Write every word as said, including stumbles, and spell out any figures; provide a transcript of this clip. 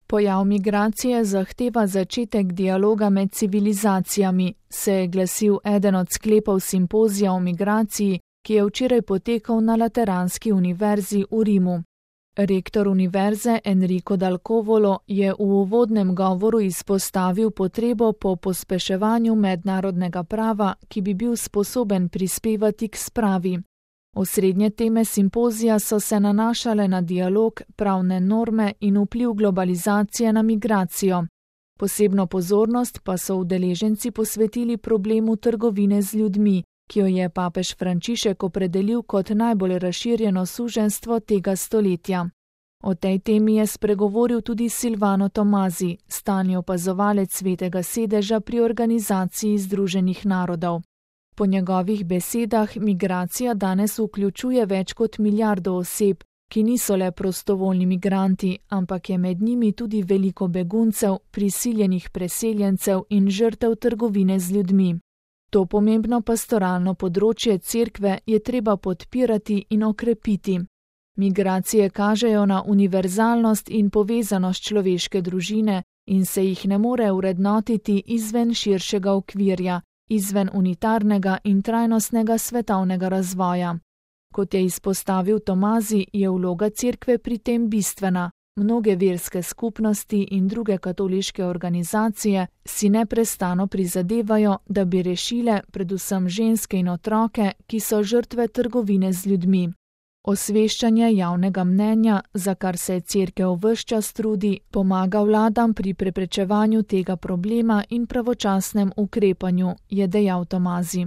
Pojav migracije zahteva začetek dialoga med civilizacijami, se je glasil eden od sklepov simpozija o migraciji, ki je včeraj potekal na Lateranski univerzi v Rimu. Rektor univerze Enrico Dal Covolo je v uvodnem govoru izpostavil potrebo po pospeševanju mednarodnega prava, ki bi bil sposoben prispevati k spravi. Osrednje teme simpozija so se nanašale na dialog, pravne norme in vpliv globalizacije na migracijo. Posebno pozornost pa so udeleženci posvetili problemu trgovine z ljudmi, ki jo je papež Frančišek opredelil kot najbolj razširjeno suženjstvo tega stoletja. O tej temi je spregovoril tudi Silvano Tomazi, stalni opazovalec Svetega sedeža pri Organizaciji združenih narodov. Po njegovih besedah migracija danes vključuje več kot milijardo oseb, ki niso le prostovoljni migranti, ampak je med njimi tudi veliko beguncev, prisiljenih preseljencev in žrtev trgovine z ljudmi. To pomembno pastoralno področje cerkve je treba podpirati in okrepiti. Migracije kažejo na univerzalnost in povezanost človeške družine in se jih ne more vrednotiti izven širšega okvirja, izven unitarnega in trajnostnega svetovnega razvoja. Kot je izpostavil Tomazi, je vloga cerkve pri tem bistvena. Mnoge verske skupnosti in druge katoliške organizacije si neprestano prizadevajo, da bi rešile predvsem ženske in otroke, ki so žrtve trgovine z ljudmi. Osveščanje javnega mnenja, za kar se cerkev ves čas trudi, pomaga vladam pri preprečevanju tega problema in pravočasnem ukrepanju, je dejal Tomazi.